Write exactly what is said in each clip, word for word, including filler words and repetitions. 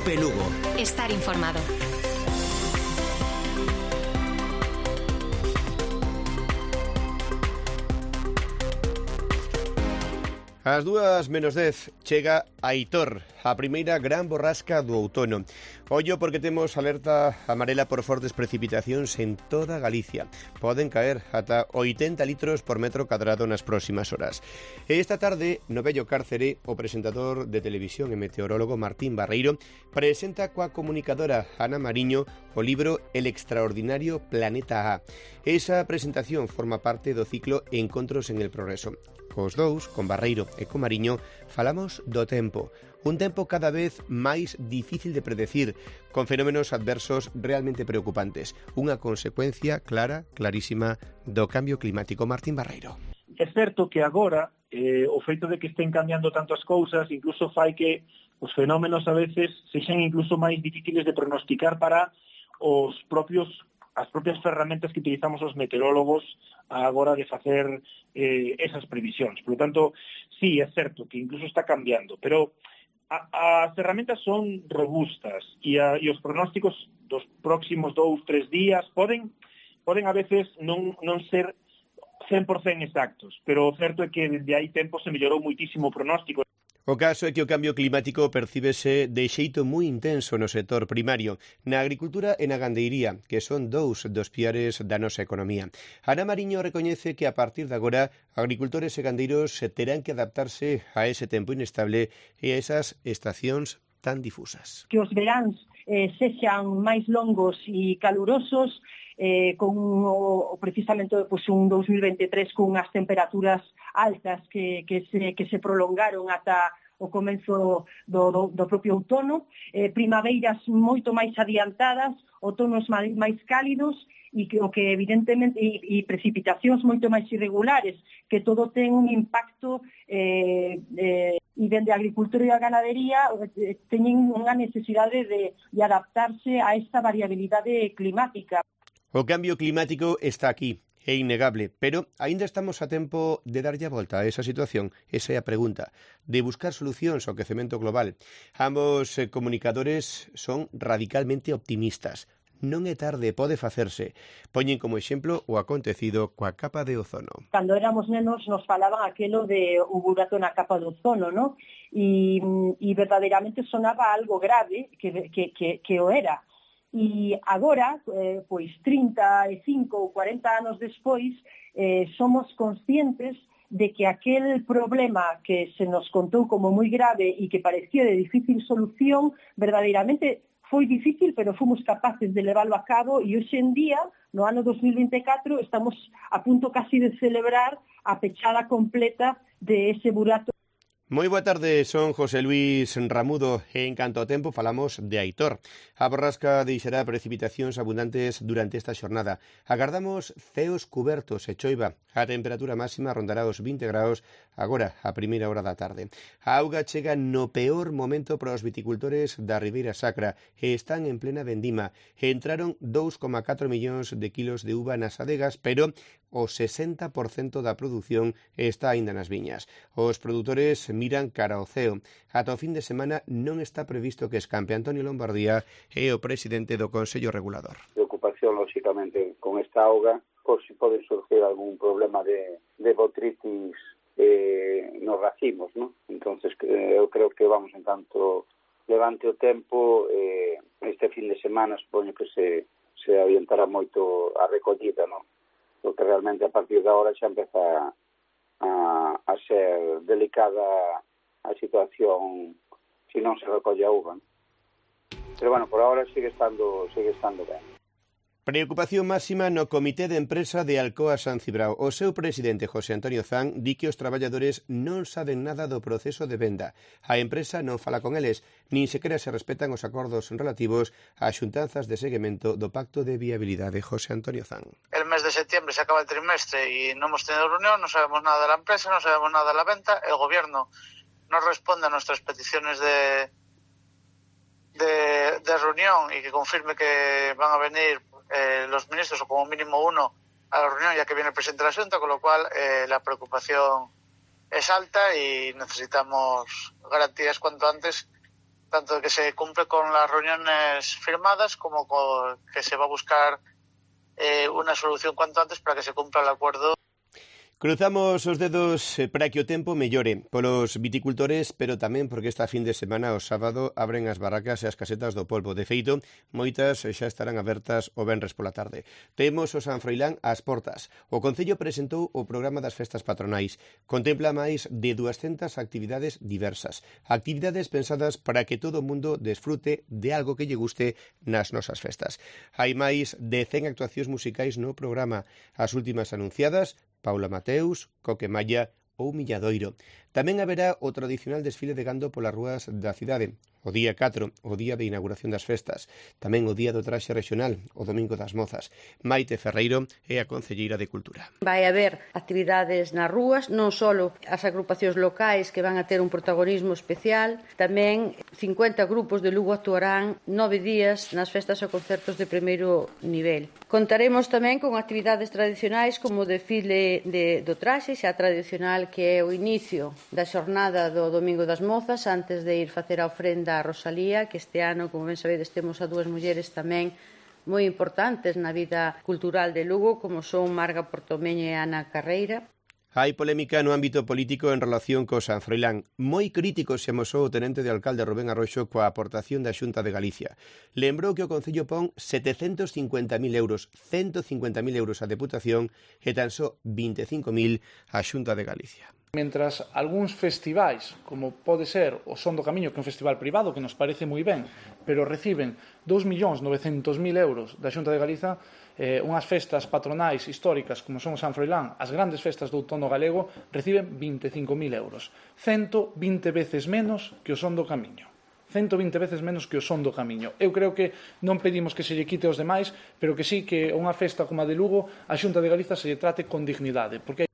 COPE Lugo. Estar informado. Ás dúas menos dez chega Aitor, a primeira gran borrasca do outono. Ollo porque temos alerta amarela por fortes precipitacións en toda Galicia. Poden caer ata oitenta litros por metro cadrado nas próximas horas. E esta tarde, no Vello Cárcere, o presentador de televisión e meteorólogo Martín Barreiro presenta coa comunicadora Ana Mariño o libro El extraordinario planeta A. Esa presentación forma parte do ciclo Encontros en el Progreso. Cos dous, con Barreiro e con Mariño, falamos do tempo. Un tempo cada vez máis difícil de predecir, con fenómenos adversos realmente preocupantes. Unha consecuencia clara, clarísima, do cambio climático. Martín Barreiro. É certo que agora eh, o feito de que estén cambiando tantas cousas incluso fai que os fenómenos a veces sexan incluso máis difíciles de pronosticar para os propios as propias ferramentas que utilizamos os meteorólogos a hora de facer eh, esas previsións. Por lo tanto, sí, é certo que incluso está cambiando, pero a, as ferramentas son robustas e, a, e os pronósticos dos próximos dous, tres días poden poden a veces non, non ser cen por cento exactos, pero o certo é que desde hai tempo se mellorou muitísimo o pronóstico. O caso é que o cambio climático percíbese de xeito moi intenso no sector primario, na agricultura e na gandeiría, que son dous dos piares da nosa economía. Ana Mariño recoñece que a partir de agora agricultores e gandeiros terán que adaptarse a ese tempo inestable e a esas estacións tan difusas. Que os veráns eh, sexan máis longos e calurosos, eh, con o, precisamente pues, un dos mil veintitrés con unhas temperaturas altas que, que, se, que se prolongaron ata o comenzo do, do, do propio outono, eh, primaveiras moito máis adiantadas, outonos máis, máis cálidos e que, o que evidentemente e, e precipitacións moito máis irregulares, que todo ten un impacto eh, eh, e dende a agricultura e a ganadería eh, teñen unha necesidade de, de adaptarse a esta variabilidade climática. O cambio climático está aquí, é innegable, pero aínda estamos a tempo de darlle a volta a esa situación. Esa é a pregunta, de buscar solucións ao quecemento global. Ambos eh, comunicadores son radicalmente optimistas. Non é tarde, pode facerse. Poñen como exemplo o acontecido coa capa de ozono. Cando éramos nenos nos falaban aquelo de un burato na capa de ozono, ¿no? E, e verdadeiramente sonaba algo grave que, que, que, que o era. E agora, eh, pois trinta e cinco ou cuarenta anos despois, eh, somos conscientes de que aquel problema que se nos contou como moi grave e que parecía de difícil solución, verdadeiramente foi difícil, pero fomos capaces de leválo a cabo e hoxe en día, no ano dos mil vinte e catro, estamos a punto casi de celebrar a pechada completa de ese burato. Moi boa tarde, son José Luis Ramudo e en canto ao tempo falamos de Aitor. A borrasca deixará precipitacións abundantes durante esta xornada. Agardamos ceos cubertos e choiva. A temperatura máxima rondará os vinte graus agora, a primeira hora da tarde. A auga chega no peor momento para os viticultores da Ribeira Sacra e están en plena vendima. Entraron dous coma catro millóns de kilos de uva nas adegas, pero o sesenta por cento da produción está aínda nas viñas. Os produtores miran cara ao ceo. Ata o fin de semana non está previsto que escampe. Antonio Lombardía é o presidente do Consello Regulador. Preocupación, lógicamente, con esta auga, por si pode surgir algún problema de, de botritis eh, nos racimos, ¿no? Entonces, eh, eu creo que vamos en tanto levante o tempo, eh, este fin de semana supoño que se, se avientará moito a recollida, ¿no? Porque realmente a partir de agora xa empeza a, a ser delicada a situación se non se recolle a uva. Pero bueno, por agora sigue estando, sigue estando ben. Preocupación máxima no Comité de Empresa de Alcoa San Cibrao. O seu presidente, José Antonio Zan, di que os traballadores non saben nada do proceso de venda. A empresa non fala con eles, nin sequera se respetan os acordos relativos ás xuntanzas de seguimento do Pacto de Viabilidade. José Antonio Zan. El mes de septiembre se acaba el trimestre y no hemos tenido reunión, no sabemos nada de la empresa, no sabemos nada de la venta. El gobierno no responde a nuestras peticiones de, de, de reunión y que confirme que van a venir Eh, los ministros o como mínimo uno a la reunión ya que viene el presidente de la Xunta, con lo cual eh, la preocupación es alta y necesitamos garantías cuanto antes tanto que se cumple con las reuniones firmadas como con que se va a buscar eh, una solución cuanto antes para que se cumpla el acuerdo. Cruzamos os dedos para que o tempo mellore polos viticultores, pero tamén porque esta fin de semana, o sábado, abren as barracas e as casetas do polvo. De feito, moitas xa estarán abertas o venres pola tarde. Temos o San Froilán ás portas. O Concello presentou o programa das festas patronais. Contempla máis de duascentas actividades diversas. Actividades pensadas para que todo o mundo desfrute de algo que lle guste nas nosas festas. Hai máis de cen actuacións musicais no programa. As últimas anunciadas, Paula Mateus, Coque Malla ou Milladoiro. Tamén haberá o tradicional desfile de gando polas rúas da cidade. O día catro, o día de inauguración das festas. Tamén o día do traxe regional, o domingo das mozas. Maite Ferreiro é a concelleira de Cultura. Vai haber actividades nas rúas, non só as agrupacións locais que van a ter un protagonismo especial, tamén cincuenta grupos de Lugo actuarán nove días nas festas e concertos de primeiro nivel. Contaremos tamén con actividades tradicionais como o desfile de, do traxe, xa tradicional que é o inicio da xornada do domingo das mozas antes de ir facer a ofrenda a Rosalía, que este ano, como ben sabedes, temos a dúas mulleres tamén moi importantes na vida cultural de Lugo, como son Marga Portomeño e Ana Carreira. Hai polémica no ámbito político en relación co San Froilán. Moi crítico se amosou o tenente de alcalde Rubén Arroxo coa aportación da Xunta de Galicia. Lembrou que o Concello pon setecentos cincuenta mil euros, ciento cincuenta mil euros a Deputación e tan só vinte e cinco mil a Xunta de Galicia. Mentras algúns festivais, como pode ser o Son do Camiño, que é un festival privado que nos parece moi ben, pero reciben dous millóns novecentos mil euros da Xunta de Galiza, eh, unhas festas patronais históricas como son o San Froilán, as grandes festas do outono galego, reciben vinte e cinco mil euros, ciento vinte veces menos que o Son do Camiño. ciento vinte veces menos que o Son do Camiño. Eu creo que non pedimos que se lle quite aos demais, pero que sí que unha festa como a de Lugo, a Xunta de Galiza se lle trate con dignidade, porque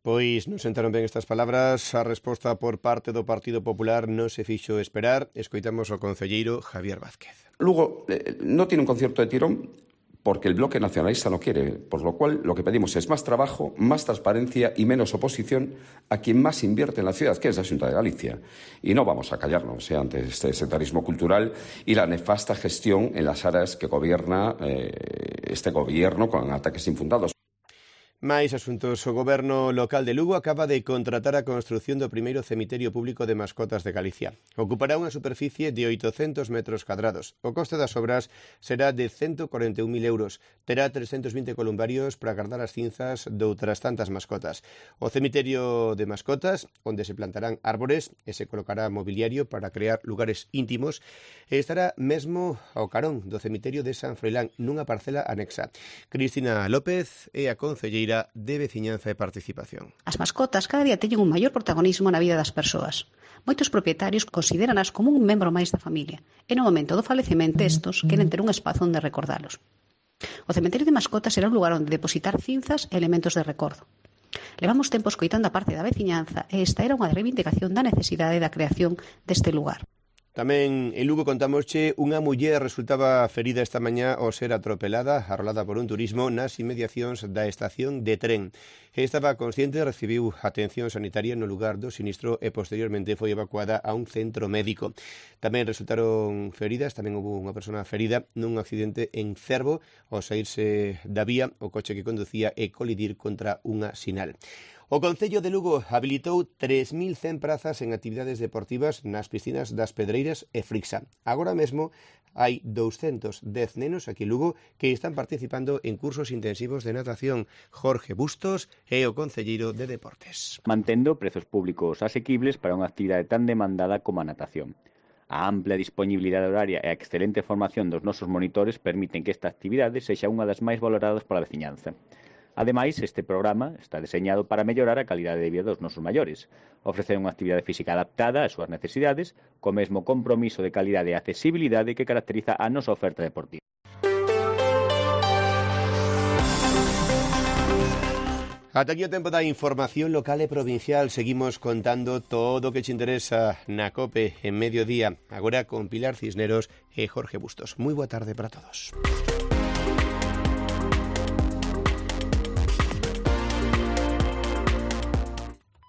Pois non sentaron ben estas palabras, a resposta por parte do Partido Popular non se fixo esperar. Escoitamos ao concelleiro Javier Vázquez. Lugo eh, no tiene un concierto de tirón porque el bloque nacionalista no quiere, por lo cual lo que pedimos es más trabajo, más transparencia y menos oposición a quien más invierte en la ciudad, que es la Xunta de Galicia. Y no vamos a callarnos eh, ante este sectarismo cultural y la nefasta gestión en las áreas que gobierna eh, este gobierno con ataques infundados. Máis asuntos. O Goberno local de Lugo acaba de contratar a construción do primeiro cemiterio público de mascotas de Galicia. Ocupará unha superficie de oitocentos metros cadrados. O coste das obras será de ciento cuarenta e un mil euros. Terá trescentos vinte columbarios para guardar as cinzas doutras tantas mascotas. O cemiterio de mascotas, onde se plantarán árbores e se colocará mobiliario para crear lugares íntimos, estará mesmo ao carón do cemiterio de San Froilán, nunha parcela anexa. Cristina López é a concelleira de Veciñanza e Participación. As mascotas cada día teñen un maior protagonismo na vida das persoas. Moitos propietarios considéranas como un membro máis da familia e no momento do falecemento estos queren ter un espazo onde recordalos. O cemiterio de mascotas será un lugar onde depositar cinzas e elementos de recordo. Levamos tempo escoitando a parte da veciñanza e esta era unha reivindicación da necesidade da creación deste lugar. Tamén en Lugo contamosche unha muller resultaba ferida esta mañá ao ser atropelada, arrolada por un turismo nas inmediacións da estación de tren. Estaba consciente, recibiu atención sanitaria no lugar do sinistro e posteriormente foi evacuada a un centro médico. Tamén resultaron feridas, tamén houve unha persona ferida nun accidente en Cervo ao saírse da vía o coche que conducía e colidir contra unha sinal. O Concello de Lugo habilitou tres mil cen prazas en actividades deportivas nas piscinas das Pedreiras e Frixa. Agora mesmo hai doscientos dez nenos aquí en Lugo que están participando en cursos intensivos de natación. Jorge Bustos é o concelleiro de Deportes. Mantendo prezos públicos asequibles para unha actividade tan demandada como a natación. A ampla disponibilidade horaria e a excelente formación dos nosos monitores permiten que esta actividade sexa unha das máis valoradas pola veciñanza. Ademais, este programa está deseñado para mellorar a calidade de vida dos nosos maiores, ofrecer unha actividade física adaptada ás súas necesidades, co mesmo compromiso de calidade e accesibilidade que caracteriza a nosa oferta deportiva. Ata aquí o tempo da información local e provincial. Seguimos contando todo o que te interesa na COPE en mediodía. Agora con Pilar Cisneros e Jorge Bustos. Moi boa tarde para todos.